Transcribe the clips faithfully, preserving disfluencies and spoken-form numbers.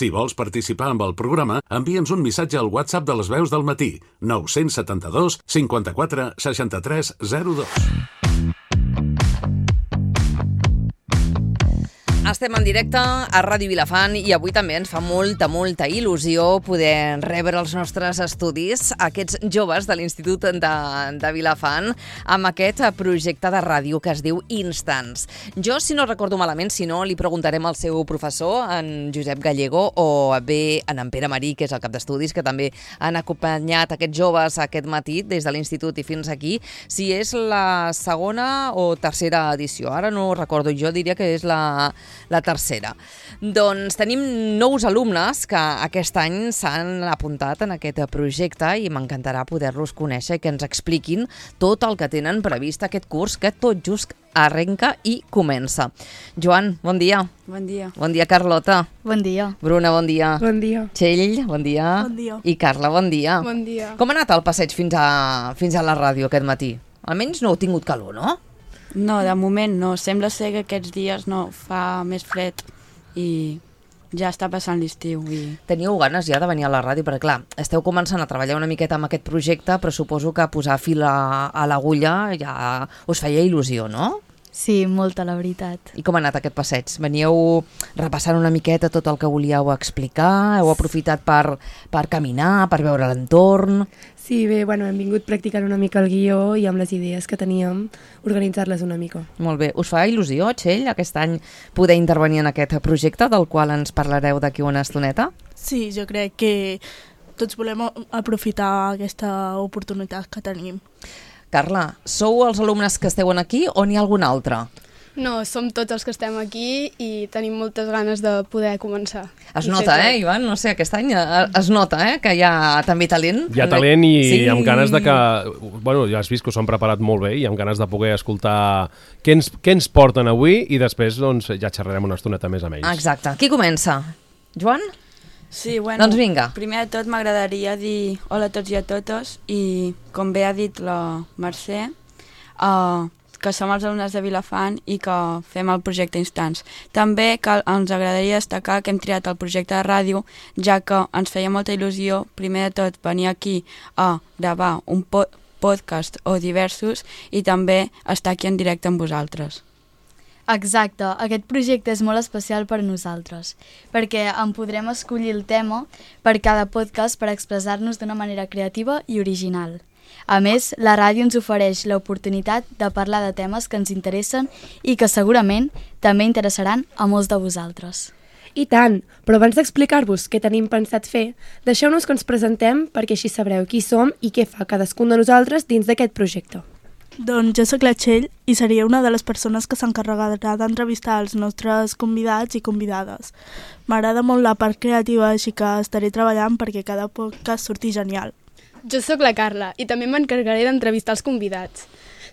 Si vols participar amb el programa, envia'ns un missatge al WhatsApp de les veus del matí, nou set dos, cinquanta-quatre, seixanta-tres, zero dos. Estem en directe a Ràdio Vilafant i avui també ens fa molta, molta il·lusió poder rebre els nostres estudis, aquests joves de l'Institut de, de Vilafant, amb aquest projecte de ràdio que es diu Instants. Jo, si no recordo malament, si no, li preguntarem al seu professor, en Josep Gallego, o bé en, en Pere Marí, que és el cap d'estudis, que també han acompanyat aquests joves aquest matí des de l'Institut i fins aquí, si és la segona o tercera edició. Ara no ho recordo, jo diria que és la... la tercera. Doncs tenim nous alumnes que aquest any s'han apuntat en aquest projecte i m'encantarà poder-los conèixer i que ens expliquin tot el que tenen previst aquest curs que tot just arrenca i comença. Joan, bon dia. Bon dia. Bon dia, Carlota. Bon dia. Bruna, bon dia. Bon dia. Txell, bon dia. Bon dia. I Carla, bon dia. Bon dia. Com ha anat el passeig fins a, fins a la ràdio aquest matí? Almenys no heu tingut calor, no? No, de moment no. Sembla ser que aquests dies no fa més fred i ja està passant l'estiu. I... Teníeu ganes ja de venir a la ràdio? Perquè clar, esteu començant a treballar una miqueta amb aquest projecte, però suposo que posar fil a, a l'agulla ja us feia il·lusió, no? Sí, molta, la veritat. I com ha anat aquest passeig? Veníeu repassant una miqueta tot el que volíeu explicar? Heu aprofitat per, per caminar, per veure l'entorn? Sí, bé, bueno, hem vingut practicant una mica el guió i amb les idees que teníem, organitzar-les una mica. Molt bé. Us fa il·lusió, Txell, aquest any poder intervenir en aquest projecte del qual ens parlareu d'aquí una estoneta? Sí, jo crec que tots volem aprofitar aquesta oportunitat que tenim. Carla, sou els alumnes que esteu aquí o n'hi ha algun altre? No, som tots els que estem aquí i tenim moltes ganes de poder començar. Es nota, eh, Ivan? No sé, aquest any es nota, eh, que hi ha també talent. Hi ha talent i sí. amb ganes de que... Bueno, ja has vist que s'ho han preparat molt bé i amb ganes de poder escoltar què ens, què ens porten avui i després doncs, ja xerrarem una estoneta més amb ells. Exacte. Qui comença? Joan? Sí, bueno, doncs vinga. Primer de tot m'agradaria dir hola a tots i a totes i, com bé ha dit la Mercè, uh, que som els alumnes de Vilafant i que fem el projecte Instants. També que ens agradaria destacar que hem triat el projecte de ràdio, ja que ens feia molta il·lusió, primer de tot, venir aquí a gravar un po- podcast o diversos i també estar aquí en directe amb vosaltres. Exacte, aquest projecte és molt especial per a nosaltres, perquè en podrem escollir el tema per cada podcast per expressar-nos d'una manera creativa i original. A més, la ràdio ens ofereix l'oportunitat de parlar de temes que ens interessen i que segurament també interessaran a molts de vosaltres. I tant, però abans d'explicar-vos què tenim pensat fer, deixeu-nos que ens presentem perquè així sabreu qui som i què fa cadascun de nosaltres dins d'aquest projecte. Doncs jo soc la Txell i seria una de les persones que s'encarregarà d'entrevistar els nostres convidats i convidades. M'agrada molt la part creativa, així que estaré treballant perquè cada podcast surti genial. Jo sóc la Carla i també m'encarregaré d'entrevistar els convidats.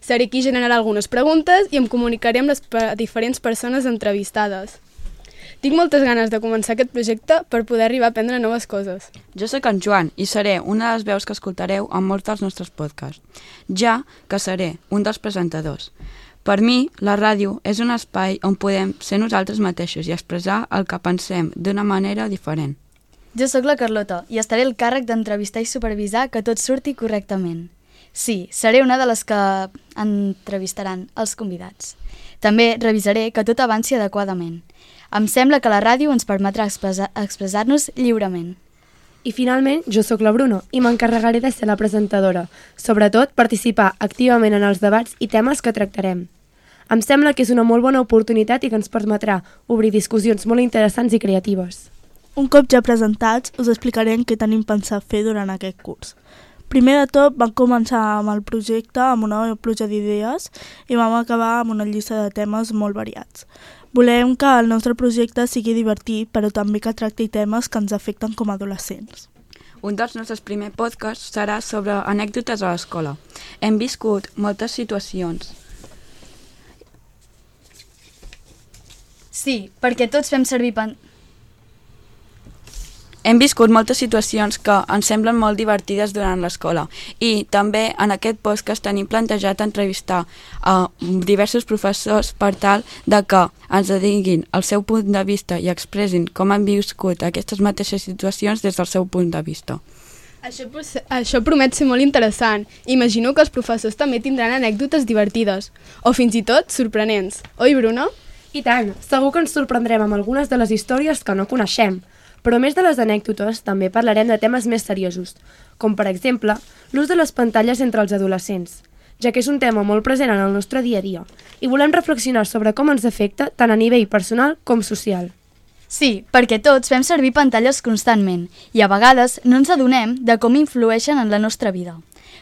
Seré qui generarà algunes preguntes i em comunicaré amb les pe- diferents persones entrevistades. Tinc moltes ganes de començar aquest projecte per poder arribar a aprendre noves coses. Jo sóc en Joan i seré una de les veus que escoltareu en molts dels nostres podcasts, ja que seré un dels presentadors. Per mi, la ràdio és un espai on podem ser nosaltres mateixos i expressar el que pensem d'una manera diferent. Jo sóc la Carlota i estaré al càrrec d'entrevistar i supervisar que tot surti correctament. Sí, seré una de les que entrevistaran els convidats. També revisaré que tot avanci adequadament. Em sembla que la ràdio ens permetrà expressar- expressar-nos lliurement. I finalment, jo sóc la Bruno i m'encarregaré de ser la presentadora, sobretot participar activament en els debats i temes que tractarem. Em sembla que és una molt bona oportunitat i que ens permetrà obrir discussions molt interessants i creatives. Un cop ja presentats, us explicarem què tenim pensat fer durant aquest curs. Primer de tot, vam començar amb el projecte amb una pluja d'idees i vam acabar amb una llista de temes molt variats. Volem que el nostre projecte sigui divertit, però també que tracti temes que ens afecten com a adolescents. Un dels nostres primers podcasts serà sobre anècdotes a l'escola. Hem viscut moltes situacions. Sí, perquè tots fem servir... Pen... Hem viscut moltes situacions que ens semblen molt divertides durant l'escola i també en aquest podcast tenim plantejat entrevistar a diversos professors per tal de que ens diguin el seu punt de vista i expressin com han viscut aquestes mateixes situacions des del seu punt de vista. Això, això promet ser molt interessant. Imagino que els professors també tindran anècdotes divertides o fins i tot sorprenents. Oi, Bruno? I tant, segur que ens sorprendrem amb algunes de les històries que no coneixem. Però a més de les anècdotes, també parlarem de temes més seriosos, com per exemple l'ús de les pantalles entre els adolescents, ja que és un tema molt present en el nostre dia a dia, i volem reflexionar sobre com ens afecta tant a nivell personal com social. Sí, perquè tots fem servir pantalles constantment i a vegades no ens adonem de com influeixen en la nostra vida.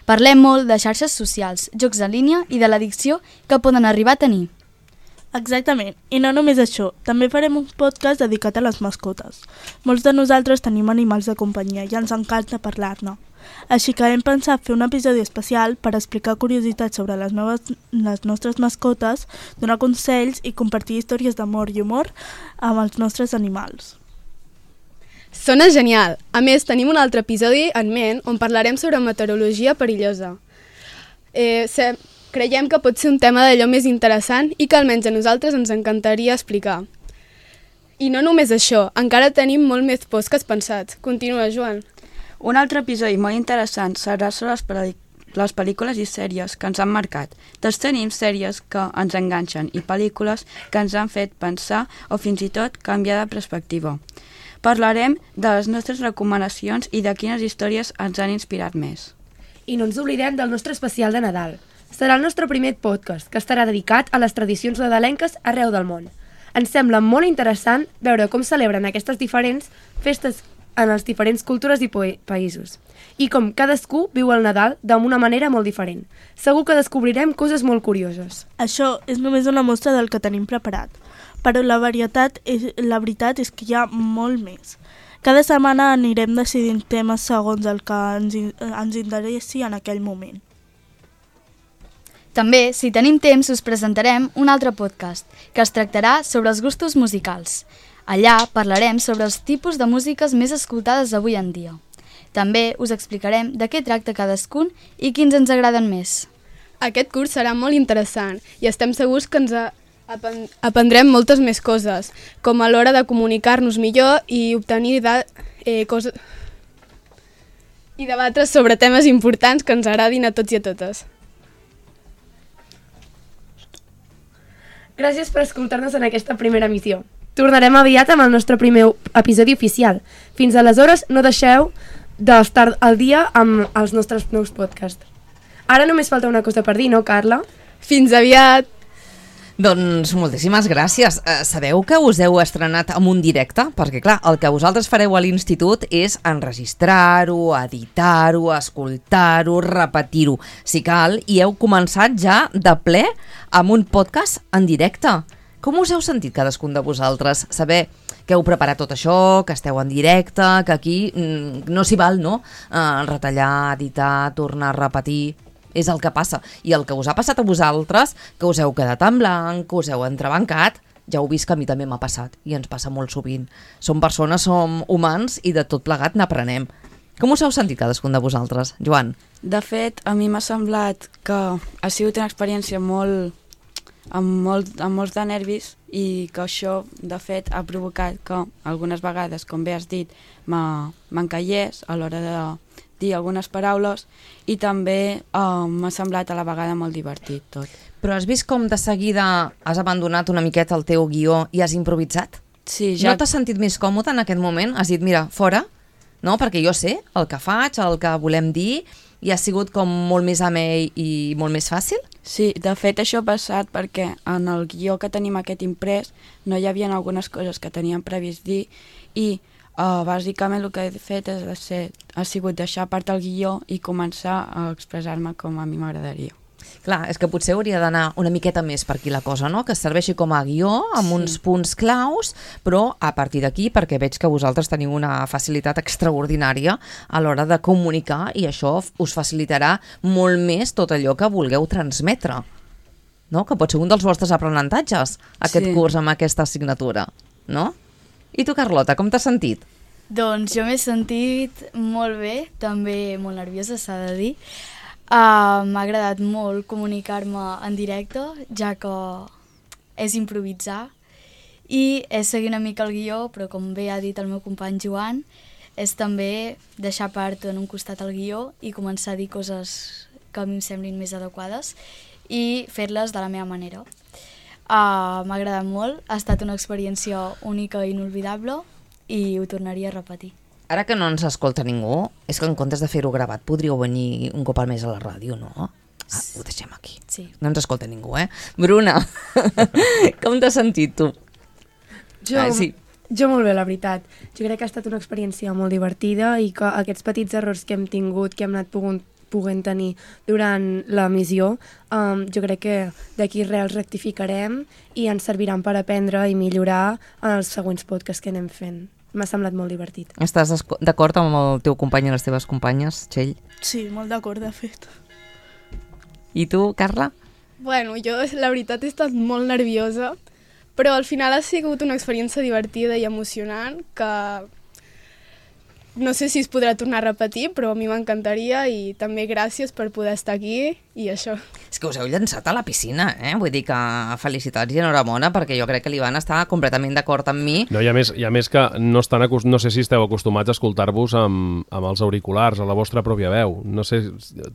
Parlem molt de xarxes socials, jocs en línia i de l'addicció que poden arribar a tenir. Exactament, i no només això, també farem un podcast dedicat a les mascotes. Molts de nosaltres tenim animals de companyia i ens encanta parlar-ne. Així que hem pensat fer un episodi especial per explicar curiositats sobre les, noves, les nostres mascotes, donar consells i compartir històries d'amor i humor amb els nostres animals. Sona genial! A més, tenim un altre episodi en ment on parlarem sobre meteorologia perillosa. Eh, se... Creiem que pot ser un tema d'allò més interessant i que almenys a nosaltres ens encantaria explicar. I no només això, encara tenim molt més podcasts pensats. Continua, Joan. Un altre episodi molt interessant serà sobre les, pel·li les pel·lícules i sèries que ens han marcat. Tots tenim sèries que ens enganxen i pel·lícules que ens han fet pensar o fins i tot canviar de perspectiva. Parlarem de les nostres recomanacions i de quines històries ens han inspirat més. I no ens oblidem del nostre especial de Nadal. Serà el nostre primer podcast, que estarà dedicat a les tradicions nadalenques arreu del món. Ens sembla molt interessant veure com celebren aquestes diferents festes en les diferents cultures i països, i com cadascú viu el Nadal d'una manera molt diferent. Segur que descobrirem coses molt curioses. Això és només una mostra del que tenim preparat, però la, varietat és, la veritat és que hi ha molt més. Cada setmana anirem decidint temes segons el que ens, ens interessi en aquell moment. També, si tenim temps, us presentarem un altre podcast, que es tractarà sobre els gustos musicals. Allà parlarem sobre els tipus de músiques més escoltades avui en dia. També us explicarem de què tracta cadascun i quins ens agraden més. Aquest curs serà molt interessant i estem segurs que ens aprendrem moltes més coses, com a l'hora de comunicar-nos millor i obtenir de, eh, coses... i debatre sobre temes importants que ens agradin a tots i a totes. Gràcies per escoltar-nos en aquesta primera emissió. Tornarem aviat amb el nostre primer episodi oficial. Fins aleshores, no deixeu d'estar al dia amb els nostres nous podcasts. Ara només falta una cosa per dir, no, Carla? Fins aviat! Doncs moltíssimes gràcies. Eh, sabeu que us heu estrenat amb un directe? Perquè, clar, el que vosaltres fareu a l'institut és enregistrar-ho, editar-ho, escoltar-ho, repetir-ho, si cal, i heu començat ja de ple amb un podcast en directe. Com us heu sentit cadascun de vosaltres? Saber que heu preparat tot això, que esteu en directe, que aquí mm, no s'hi val, no? Eh, retallar, editar, tornar a repetir... És el que passa. I el que us ha passat a vosaltres, que us heu quedat en blanc, que us heu entrebancat, ja heu vist que a mi també m'ha passat i ens passa molt sovint. Som persones, som humans i de tot plegat n'aprenem. Com us heu sentit cadascun de vosaltres, Joan? De fet, a mi m'ha semblat que ha sigut una experiència molt, amb, molt, amb molts de nervis i que això, de fet, ha provocat que algunes vegades, com bé has dit, m'encallés a l'hora de dir algunes paraules i també uh, m'ha semblat a la vegada molt divertit tot. Però has vist com de seguida has abandonat una miqueta el teu guió i has improvisat? Sí, ja... No t'has sentit més còmode en aquest moment? Has dit, mira, fora, no? Perquè jo sé el que faig, el que volem dir, i ha sigut com molt més amè i molt més fàcil? Sí, de fet això ha passat perquè en el guió que tenim aquest imprès no hi havia algunes coses que teníem previst dir i Uh, bàsicament el que he fet és ser, ha sigut deixar a part el guió i començar a expressar-me com a mi m'agradaria. Clar, és que potser hauria d'anar una miqueta més per aquí la cosa, no? Que serveixi com a guió amb sí. uns punts claus, però a partir d'aquí, perquè veig que vosaltres teniu una facilitat extraordinària a l'hora de comunicar i això us facilitarà molt més tot allò que vulgueu transmetre, no? Que pot ser un dels vostres aprenentatges, aquest sí. curs amb aquesta assignatura, no? I tu, Carlota, com t'has sentit? Doncs jo m'he sentit molt bé, també molt nerviosa, s'ha de dir. Uh, M'ha agradat molt comunicar-me en directe, ja que és improvisar, i és seguir una mica el guió, però com bé ha dit el meu company Joan, és també deixar part en un costat el guió i començar a dir coses que a mi em semblin més adequades i fer-les de la meva manera. Uh, M'ha agradat molt, ha estat una experiència única i inolvidable i ho tornaria a repetir. Ara que no ens escolta ningú, és que en comptes de fer-ho gravat podríeu venir un cop al mes a la ràdio, no? Ah, ho deixem aquí. Sí. No ens escolta ningú, eh? Bruna, com t'has sentit tu? Jo, ah, sí. jo molt bé, la veritat. Jo crec que ha estat una experiència molt divertida i que aquests petits errors que hem tingut, que hem anat pogut, puguent tenir durant l'emissió, um, jo crec que d'aquí res els rectificarem i ens serviran per aprendre i millorar en els següents podcasts que anem fent. M'ha semblat molt divertit. Estàs d'acord amb el teu company i les teves companyes, Txell? Sí, molt d'acord, de fet. I tu, Carla? Bueno, jo la veritat he estat molt nerviosa, però al final ha sigut una experiència divertida i emocionant que no sé si es podrà tornar a repetir, però a mi m'encantaria i també gràcies per poder estar aquí i això. És que us heu llançat a la piscina, eh? Vull dir que felicitats i enhorabona, perquè jo crec que l'Ivan està completament d'acord amb mi. No, i a més, i a més que no, estan acost... no sé si esteu acostumats a escoltar-vos amb, amb els auriculars, a la vostra pròpia veu. No sé,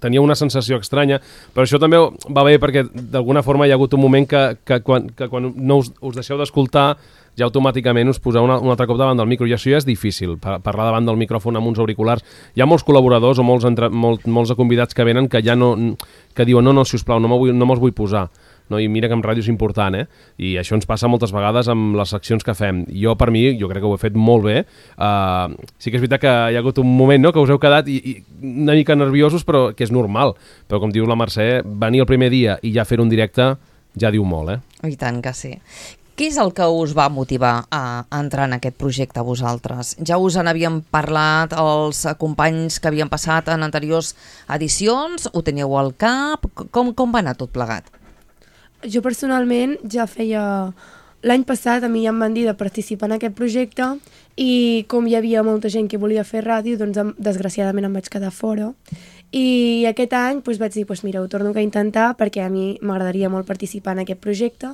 tenia una sensació estranya, però això també va bé perquè d'alguna forma hi ha hagut un moment que, que, quan, que quan no us, us deixeu d'escoltar ja automàticament us poseu una, un altre cop davant del micro, i això ja és difícil, parlar davant del micròfon amb uns auriculars. Hi ha molts col·laboradors o molts, entre, molt, molts convidats que venen que ja no, que diuen no, no, sisplau, no me'ls no vull posar. No? I mira que en ràdio és important, eh? I això ens passa moltes vegades amb les seccions que fem. Jo, per mi, jo crec que ho he fet molt bé. Uh, sí que és veritat que hi ha hagut un moment, no?, que us heu quedat i, i una mica nerviosos, però que és normal. Però com diu la Mercè, venir el primer dia i ja fer un directe ja diu molt, eh? I tant que sí. Què és el que us va motivar a entrar en aquest projecte a vosaltres? Ja us en havíem parlat els companys que havien passat en anteriors edicions? Ho teníeu al cap? Com, com va anar tot plegat? Jo personalment ja feia... L'any passat a mi ja em van dir de participar en aquest projecte i com hi havia molta gent que volia fer ràdio, doncs desgraciadament em vaig quedar fora. I aquest any doncs, vaig dir, doncs, mira, ho torno a intentar perquè a mi m'agradaria molt participar en aquest projecte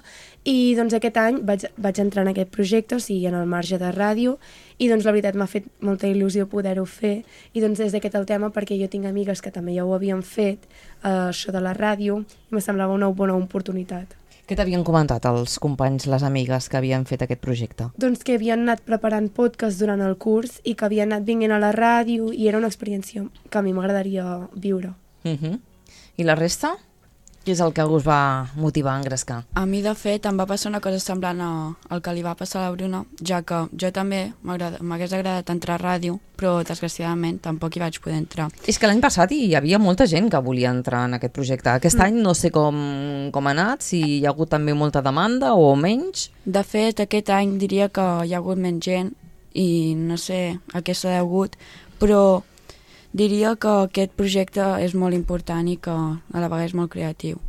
i doncs aquest any vaig, vaig entrar en aquest projecte, o sigui, en el marge de ràdio, i doncs la veritat m'ha fet molta il·lusió poder-ho fer i doncs és aquest el tema perquè jo tinc amigues que també ja ho havien fet, eh, això de la ràdio, i me semblava una bona oportunitat. Què t'havien comentat els companys, les amigues que havien fet aquest projecte? Doncs que havien anat preparant podcast durant el curs i que havien anat vinguent a la ràdio i era una experiència que a mi m'agradaria viure. Uh-huh. I la resta? Què és el que us va motivar a engrescar? A mi, de fet, em va passar una cosa semblant al que li va passar a la Bruna, ja que jo també m'hagués agradat entrar a ràdio, però desgraciadament tampoc hi vaig poder entrar. És que l'any passat hi havia molta gent que volia entrar en aquest projecte. Aquest mm. any no sé com, com ha anat, si hi ha hagut també molta demanda o menys. De fet, aquest any diria que hi ha hagut menys gent i no sé a què s'ha degut, però diria que aquest projecte és molt important i que a la vegada és molt creatiu.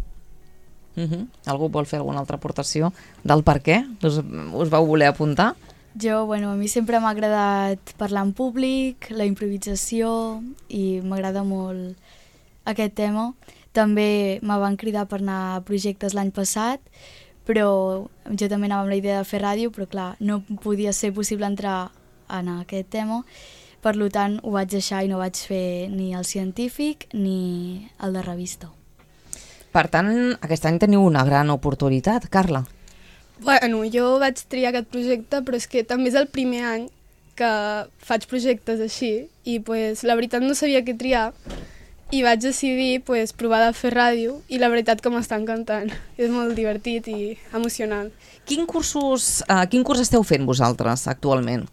Uh-huh. Algú vol fer alguna altra aportació del per què? Us, us vau voler apuntar? Jo, bueno, a mi sempre m'ha agradat parlar en públic, la improvisació, i m'agrada molt aquest tema. També me van cridar per anar a projectes l'any passat, però jo també anava amb la idea de fer ràdio, però clar, no podia ser possible entrar en aquest tema. Per tant, ho vaig deixar i no vaig fer ni el científic ni el de revista. Per tant, aquest any teniu una gran oportunitat, Carla. Bueno, jo vaig triar aquest projecte, però és que també és el primer any que faig projectes així i pues, la veritat no sabia què triar i vaig decidir pues, provar de fer ràdio i la veritat que m'està encantant. És molt divertit i emocionant. Quin, cursos, uh, quin curs esteu fent vosaltres actualment?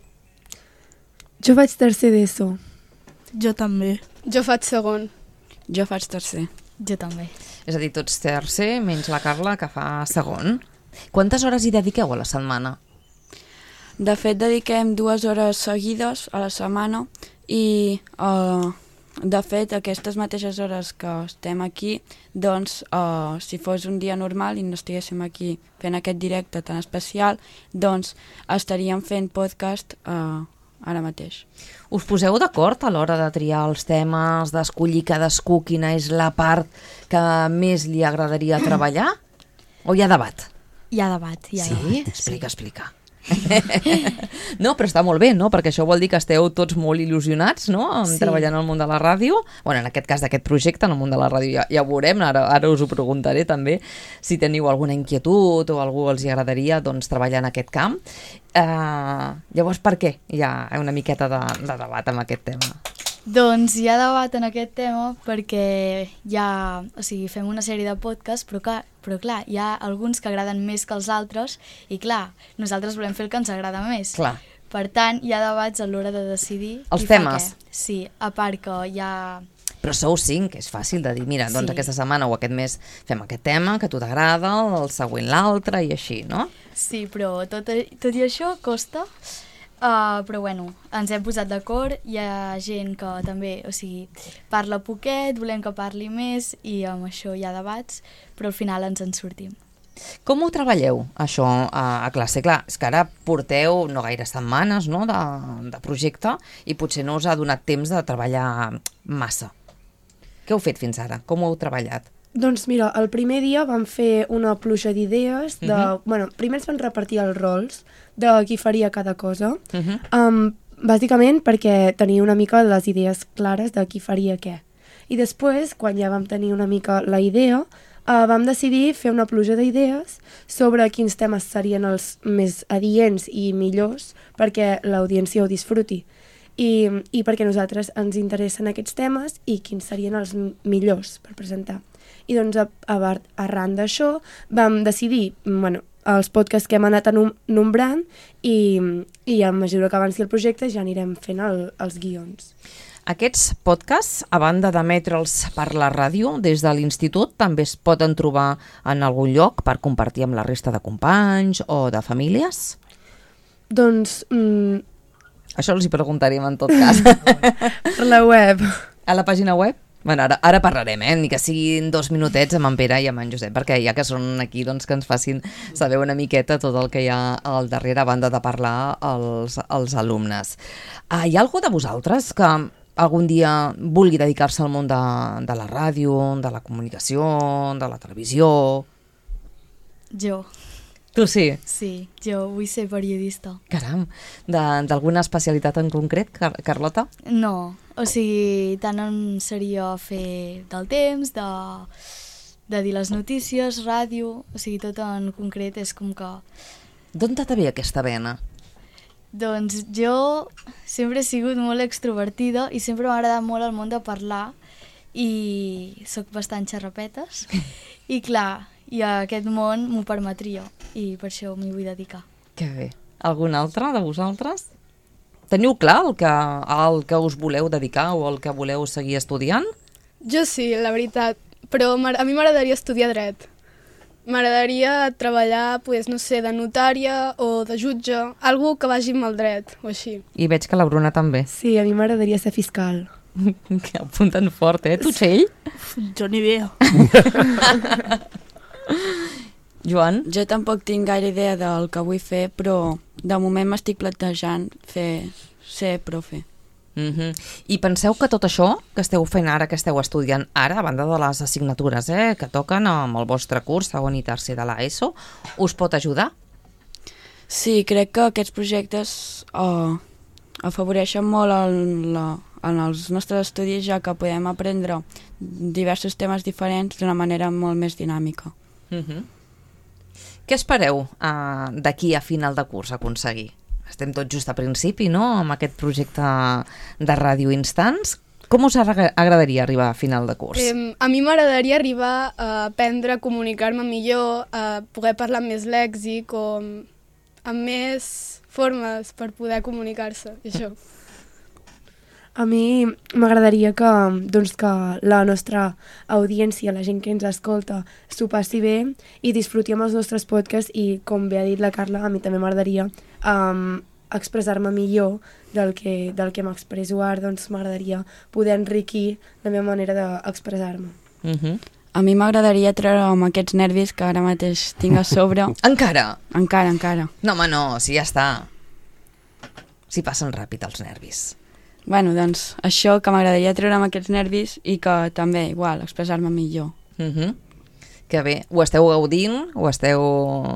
Jo faig tercer d'ESO. Jo també. Jo faig segon. Jo faig tercer. Jo també. És a dir, tots tercer, menys la Carla, que fa segon. Quantes hores hi dediqueu a la setmana? De fet, dediquem dues hores seguides a la setmana i, uh, de fet, aquestes mateixes hores que estem aquí, doncs, uh, si fos un dia normal i no estiguéssim aquí fent aquest directe tan especial, doncs estaríem fent podcast uh, ara mateix. Us poseu d'acord a l'hora de triar els temes, d'escollir cadascú quina és la part que més li agradaria treballar? O hi ha debat? Hi ha debat, hi ha Sí? debat. Explica, explica. No, però està molt bé, no? Perquè això vol dir que esteu tots molt il·lusionats, no? En Sí. treballant al món de la ràdio. Bueno, en aquest cas d'aquest projecte, en el món de la ràdio, ja, ja ho veurem, ara, ara us ho preguntaré també, si teniu alguna inquietud o algú els hi agradaria doncs, treballar en aquest camp. Uh, llavors, per què hi ha una miqueta de, de debat amb aquest tema? Doncs hi ha debat en aquest tema perquè hi ha, o sigui, fem una sèrie de podcasts, però clar, però clar, hi ha alguns que agraden més que els altres i clar, nosaltres volem fer el que ens agrada més. Clar. Per tant, hi ha debats a l'hora de decidir Els qui fa temes. què. Sí, a part que hi ha... Però sou cinc, que és fàcil de dir, mira, doncs Sí. aquesta setmana o aquest mes fem aquest tema, que a tu t'agrada, el següent l'altre i així, no? Sí, però tot, tot i això costa. Uh, però bueno, ens hem posat d'acord, hi ha gent que també, o sigui, parla poquet, volem que parli més i amb això hi ha debats, però al final ens en sortim. Com ho treballeu, això, a, a classe? Clar, és que ara porteu no gaire setmanes, no?, de, de projecte i potser no us ha donat temps de treballar massa. Què heu fet fins ara? Com ho heu treballat? Doncs mira, el primer dia vam fer una pluja d'idees, de, Mhm. bueno, primer ens van repartir els rols de qui faria cada cosa, Uh -huh. um, bàsicament perquè tenia una mica les idees clares de qui faria què. I després, quan ja vam tenir una mica la idea, uh, vam decidir fer una pluja d'idees sobre quins temes serien els més adients i millors perquè l'audiència ho disfruti. I, i perquè a nosaltres ens interessen aquests temes i quins serien els m- millors per presentar. I doncs a, a, arran d'això vam decidir, bueno, els podcasts que hem anat anum- nombrant i, i a mesura que avanci el projecte ja anirem fent el, els guions. Aquests podcasts, a banda d'emetre'ls per la ràdio, des de l'institut, també es poden trobar en algun lloc per compartir amb la resta de companys o de famílies? Doncs mm, Això els hi preguntaríem en tot cas. per la web. A la pàgina web? Bueno, ara, ara parlarem, eh? Ni que siguin dos minutets amb en Pere i amb en Josep, perquè ja que són aquí, doncs que ens facin saber una miqueta tot el que hi ha al darrere a banda de parlar als, als alumnes. Ah, hi ha algú de vosaltres que algun dia vulgui dedicar-se al món de, de la ràdio, de la comunicació, de la televisió? Jo, Tu sí? sí, jo vull ser periodista. Caram, de- d'alguna especialitat en concret, Car Carlota? No, o sigui, tant em seria fer del temps, de, de dir les notícies, ràdio, o sigui, tot en concret és com que... D'on te ve aquesta vena? Doncs jo sempre he sigut molt extrovertida i sempre m'ha agradat molt el món de parlar i sóc bastant xarrapetes i clar, i aquest món m'ho permetria i per això m'hi vull dedicar. Que bé. Algun altre de vosaltres? Teniu clar el que, el que us voleu dedicar o el que voleu seguir estudiant? Jo sí, la veritat, però m'agra- a mi m'agradaria estudiar dret. M'agradaria treballar, pues, no sé, de notària o de jutge, algú que vagi amb el dret o així. I veig que la Bruna també. Sí, a mi m'agradaria ser fiscal. Que apunten fort, eh? Tu, Txell? Jo ni idea. Joan? Jo tampoc tinc gaire idea del que vull fer, però de moment m'estic plantejant fer ser profe. Mm -hmm. I penseu que tot això que esteu fent ara, que esteu estudiant ara, a banda de les assignatures eh, que toquen amb el vostre curs, segon i tercer de l'ESO, us pot ajudar? Sí, crec que aquests projectes uh, afavoreixen molt en, la, en els nostres estudis, ja que podem aprendre diversos temes diferents d'una manera molt més dinàmica. Mm -hmm. Què espereu uh, d'aquí a final de curs aconseguir? Estem tots just a principi, no?, amb aquest projecte de Ràdio Instants. Com us agra- agradaria arribar a final de curs? Eh, a mi m'agradaria arribar a aprendre a comunicar-me millor, a poder parlar amb més lèxic o amb, amb més formes per poder comunicar-se, i això. A mi m'agradaria que, doncs, que la nostra audiència, la gent que ens escolta, s'ho passi bé i disfruti amb els nostres podcasts i, com bé ha dit la Carla, a mi també m'agradaria um, expressar-me millor del que, del que m'expresso ara, doncs m'agradaria poder enriquir la meva manera d'expressar-me. Uh -huh. A mi m'agradaria treure amb aquests nervis que ara mateix tinc a sobre. Encara? Encara, encara. No, home, no, si ja està. si passen ràpid els nervis? Bueno, doncs això, que m'agradaria treure'm aquests nervis i que també, igual, expressar-me millor. Uh-huh. Que bé. Ho esteu gaudint? Ho esteu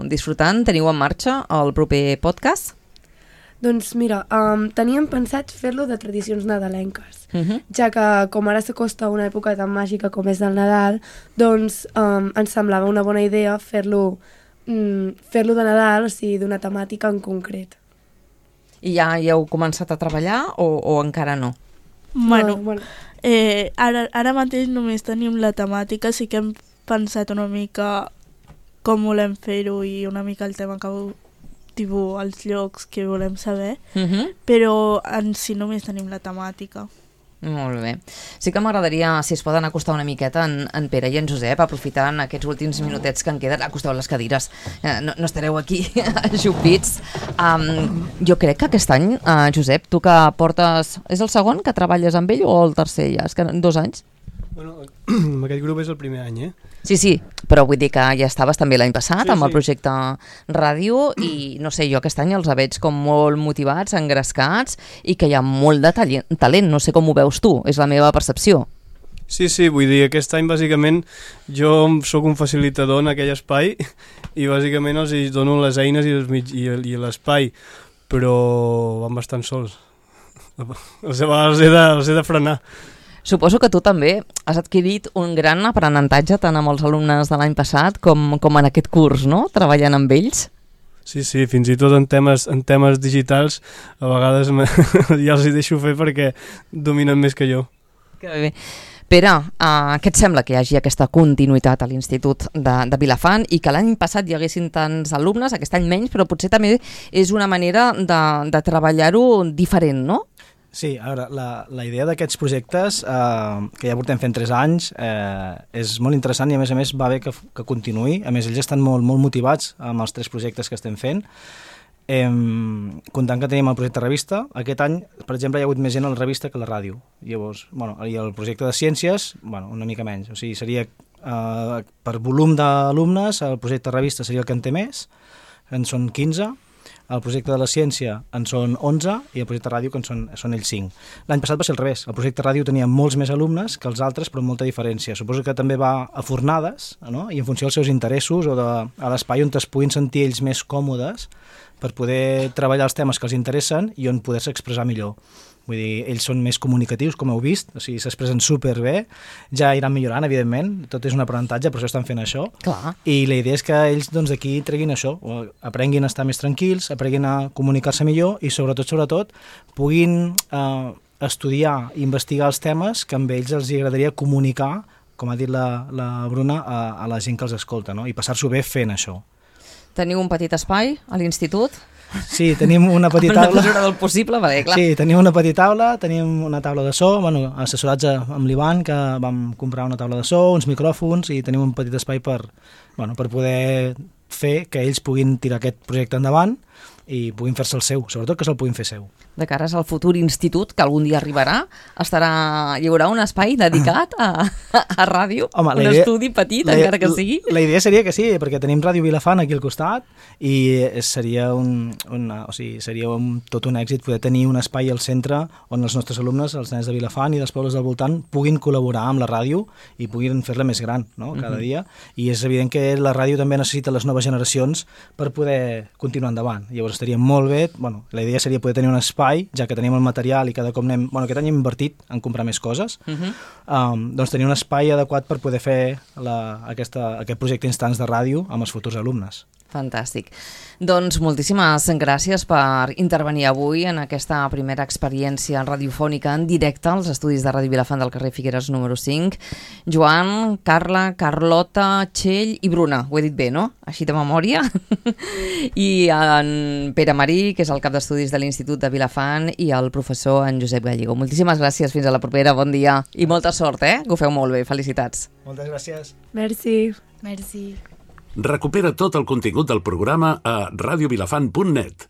disfrutant? Teniu en marxa el proper podcast? Doncs mira, um, teníem pensat fer-lo de tradicions nadalenques, Uh-huh. ja que com ara s'acosta una època tan màgica com és el Nadal, doncs um, ens semblava una bona idea fer-lo um, fer-lo de Nadal, o sigui, d'una temàtica en concret. I ja hi heu començat a treballar o, o encara no? Bueno, No, bueno. eh, ara, ara mateix només tenim la temàtica, sí que hem pensat una mica com volem fer-ho i una mica el tema que tipus, els llocs que volem saber, Uh-huh. però en si només tenim la temàtica. Molt bé. Sí que m'agradaria, si es poden acostar una miqueta en, en Pere i en Josep, aprofitant aquests últims minutets que en queden, acosteu les cadires, eh, no, no estareu aquí ajupits. Um, jo crec que aquest any, uh, Josep, tu que portes... És el segon que treballes amb ell o el tercer ja? És que en dos anys? Bueno, amb aquest grup és el primer any, eh? Sí, sí, però vull dir que ja estaves també l'any passat Sí, amb el sí. projecte ràdio i no sé, jo aquest any els veig com molt motivats, engrescats i que hi ha molt de talent, talent. No sé com ho veus tu, és la meva percepció. Sí, sí, vull dir, aquest any bàsicament jo sóc un facilitador en aquell espai i bàsicament els hi dono les eines i, els mig, i, i l'espai, però van bastant sols. Els, els, he de, els he de frenar. Suposo que tu també has adquirit un gran aprenentatge tant amb els alumnes de l'any passat com, com en aquest curs, no? Treballant amb ells. Sí, sí, fins i tot en temes, en temes digitals a vegades me, ja els hi deixo fer perquè dominen més que jo. Que bé. Pere, uh, què et sembla que hi hagi aquesta continuïtat a l'Institut de, de Vilafant i que l'any passat hi haguessin tants alumnes, aquest any menys, però potser també és una manera de, de treballar-ho diferent, no? Sí, a veure, la, la idea d'aquests projectes, eh, que ja portem fent tres anys, eh, és molt interessant i a més a més va bé que, que continuï. A més, ells estan molt, molt motivats amb els tres projectes que estem fent. Eh, comptant que tenim el projecte revista, aquest any, per exemple, hi ha hagut més gent a la revista que a la ràdio. Llavors, bueno, i el projecte de ciències, bueno, una mica menys. O sigui, seria eh, per volum d'alumnes, el projecte revista seria el que en té més, en són quinze, el projecte de la ciència en són onze i el projecte ràdio que en són, són ells cinc. L'any passat va ser al revés. El projecte ràdio tenia molts més alumnes que els altres, però amb molta diferència. Suposo que també va a fornades, no? I en funció dels seus interessos o de, a l'espai on es puguin sentir ells més còmodes per poder treballar els temes que els interessen i on poder-se expressar millor. Vull dir, ells són més comunicatius, com heu vist, o sigui, s'expressen superbé, ja iran millorant, evidentment, tot és un aprenentatge, per això estan fent això. Clar. I la idea és que ells doncs, d'aquí treguin això, aprenguin a estar més tranquils, aprenguin a comunicar-se millor i sobretot, sobretot, puguin eh, estudiar i investigar els temes que amb ells els agradaria comunicar, com ha dit la, la Bruna, a, a la gent que els escolta, no? I passar-s'ho bé fent això. Teniu un petit espai a l'institut? Sí, tenim una petita taula. taula. Una mesura del possible, va bé, clar. Sí, tenim una petita taula, tenim una taula de so, bueno, assessorats amb l'Ivan, que vam comprar una taula de so, uns micròfons i tenim un petit espai per, bueno, per poder fer que ells puguin tirar aquest projecte endavant i puguin fer-se el seu, sobretot que se'l puguin fer seu. De cares al futur institut, que algun dia arribarà, estarà, hi haurà un espai dedicat a, a, a ràdio, Home, un idea, estudi petit, la, encara que sigui. La idea seria que sí, perquè tenim Ràdio Vilafant aquí al costat i seria, un, una, o sigui, seria un, tot un èxit poder tenir un espai al centre on els nostres alumnes, els nens de Vilafant i dels pobles del voltant, puguin col·laborar amb la ràdio i puguin fer-la més gran, no?, cada uh-huh. dia. I és evident que la ràdio també necessita les noves generacions per poder continuar endavant. Llavors estaria molt bé, bueno, la idea seria poder tenir un espai, ja que tenim el material i cada cop anem, bueno, aquest any hem invertit en comprar més coses, uh-huh. um, doncs tenir un espai adequat per poder fer la, aquesta, aquest projecte Instants de ràdio amb els futurs alumnes. Fantàstic. Doncs moltíssimes gràcies per intervenir avui en aquesta primera experiència radiofònica en directe als estudis de Ràdio Vilafant del carrer Figueres número cinc. Joan, Carla, Carlota, Txell i Bruna. Ho he dit bé, no? Així de memòria. I en Pere Marí, que és el cap d'estudis de l'Institut de Vilafant, i el professor en Josep Gallego. Moltíssimes gràcies. Fins a la propera. Bon dia. I molta sort, eh? Que ho feu molt bé. Felicitats. Moltes gràcies. Merci. Merci. Recupera tot el contingut del programa a radiovilafant punt net.